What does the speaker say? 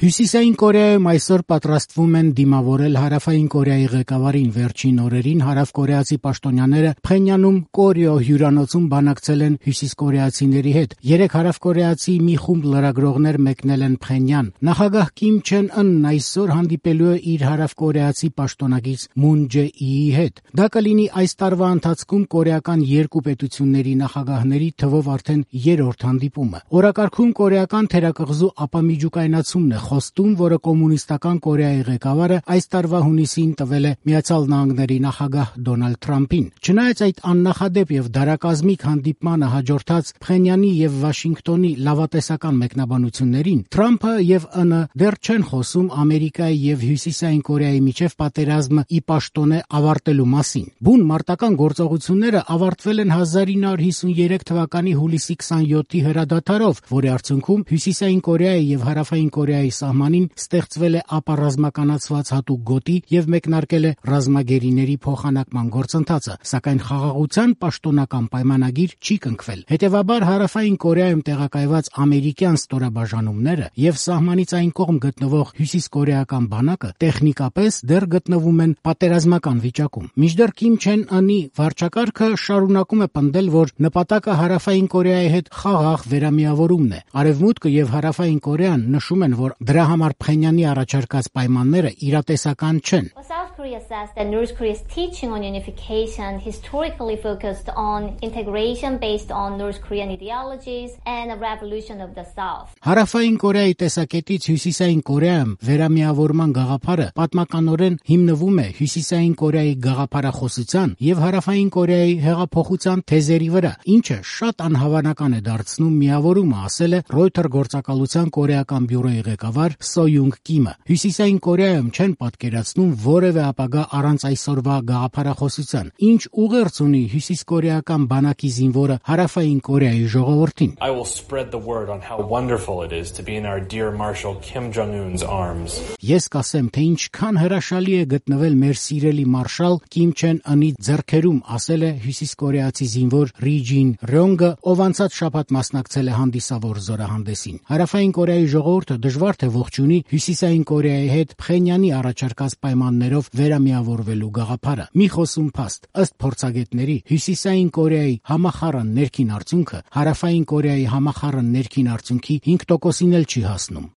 Հյուսիսային Կորեայում այսօր պատրաստվում են դիմավորել Հարավային Կորեայի ղեկավարին։ Վերջին օրերին հարավկորեացի պաշտոնյաները Փխենյանում Կորեո հյուրանոցում բանակցել են հյուսիսկորեացիների հետ։ Երեք հարավկորեացի մի խումբ լրագրողներ մեկնել են Փխենյան։ Նախագահ Կիմ Չեն Ընն այսօր հանդիպելու է իր հարավկորեացի պաշտոնակից Մուն Ջե-իի հետ։ Դա կլինի այս տարվա ընթացքում կորեական երկու պետությունների նախագահների թվով արդեն երրորդ հանդիպումը։ Օրակարգում կորեական թերակղզու ապամիջուկայնացումն է խոստում, որը կոմունիստական Կորեայի ղեկավարը այս տարվա հունիսին տվել է Միացյալ Նահանգների նախագահ Դոնալդ Թրամփին։ Չնայած այդ աննախադեպ եւ դարակազմիկ հանդիպմանը հաջորդած Փխենյանի եւ Վաշինգտոնի լավատեսական մեկնաբանություններին, Թրամփը եւ ԸՆ դեռ չեն խոսում Ամերիկայի եւ Հյուսիսային Կորեայի միջև պատերազմը ի պաշտոնե ավարտելու մասին։ Բուն մարտական գործողությունները ավարտվել են 1953 թվականի հուլիսի 27-ի հրադադարով, որի արդյունքում Հյուսիսային Կորեայի եւ Հարավային Կորեայի սահմանին ստեղծվել է ապառազմականացված հատուկ գոտի եւ մեկնարկել է ռազմագերիների փոխանակման գործընթացը, սակայն խաղաղության պաշտոնական պայմանագիր չի կնքվել։ Հետևաբար Հարավային Կորեայում տեղակայված ամերիկյան ստորաբաժանումները եւ սահմանից այն կողմ գտնվող հյուսիսկորեական բանակը տեխնիկապես դեռ գտնվում են պատերազմական վիճակում։ Մինչդեռ Կիմ Չեն Ընի վարչակարգը շարունակում է պնդել, որ նպատակը Հարավային Կորեայի հետ խաղաղ վերամիավորումն է։ Արևմուտքը եւ Հարավային Կորեան նշում են, որ դրա համար Փխենյանի առաջարկած պայմանները իրատեսական չեն։ South Korea says that North Korea's teaching on unification historically focused on integration based on North Korean ideologies and a revolution of the South. Հարավային Կորեայի տեսակետից Հյուսիսային Կորեայում վերամիավորման գաղափարը պատմականորեն հիմնվում է Հյուսիսային Կորեայի գաղափարախոսության եւ Հարավային Կորեայի հեղափոխության թեզերի վրա, ինչը շատ անհավանական է դարձնում միավորումը, ասել է Reuters գործակալության կորեական բյուրոյի ղեկավար Սո Յունգ Կիմը։ Հյուսիսային Կորեայում չեն պատկերացնում որևէ ապագա առանց այսօրվա գաղափարախոսության։ Ինչ ուղերձ ունի հյուսիսկորեական բանակի զինվորը Հարավային Կորեայի ժողովրդին։ I will spread the word on how wonderful it is to be in our dear Marshal Kim Jong-un's arms. Ես կասեմ, թե ինչքան հրաշալի է գտնվել մեր սիրելի մարշալ Կիմ Չեն Ընի ձեռքերում, ասել է հյուսիսկորեացի զինվոր Ռի Ջին Ռյոնգը, ով անցած շաբաթ մասնակցել է հանդիսավոր զորահանդեսին։ Հարավային Կորեայի ժողովուրդը դժվար թե ողջունի Հյուսիսային Կորեայի հետ Փխենյանի առաջարկած պայմաններով վերամիավորվելու գաղափարը։ Մի խոսում փաստ, ըստ փորձագետների, Հյուսիսային Կորեայի համախառն ներքին արդյունքը Հարավային Կորեայի համախառն ներքին արդյունքի 5%-ին էլ չի հասնում։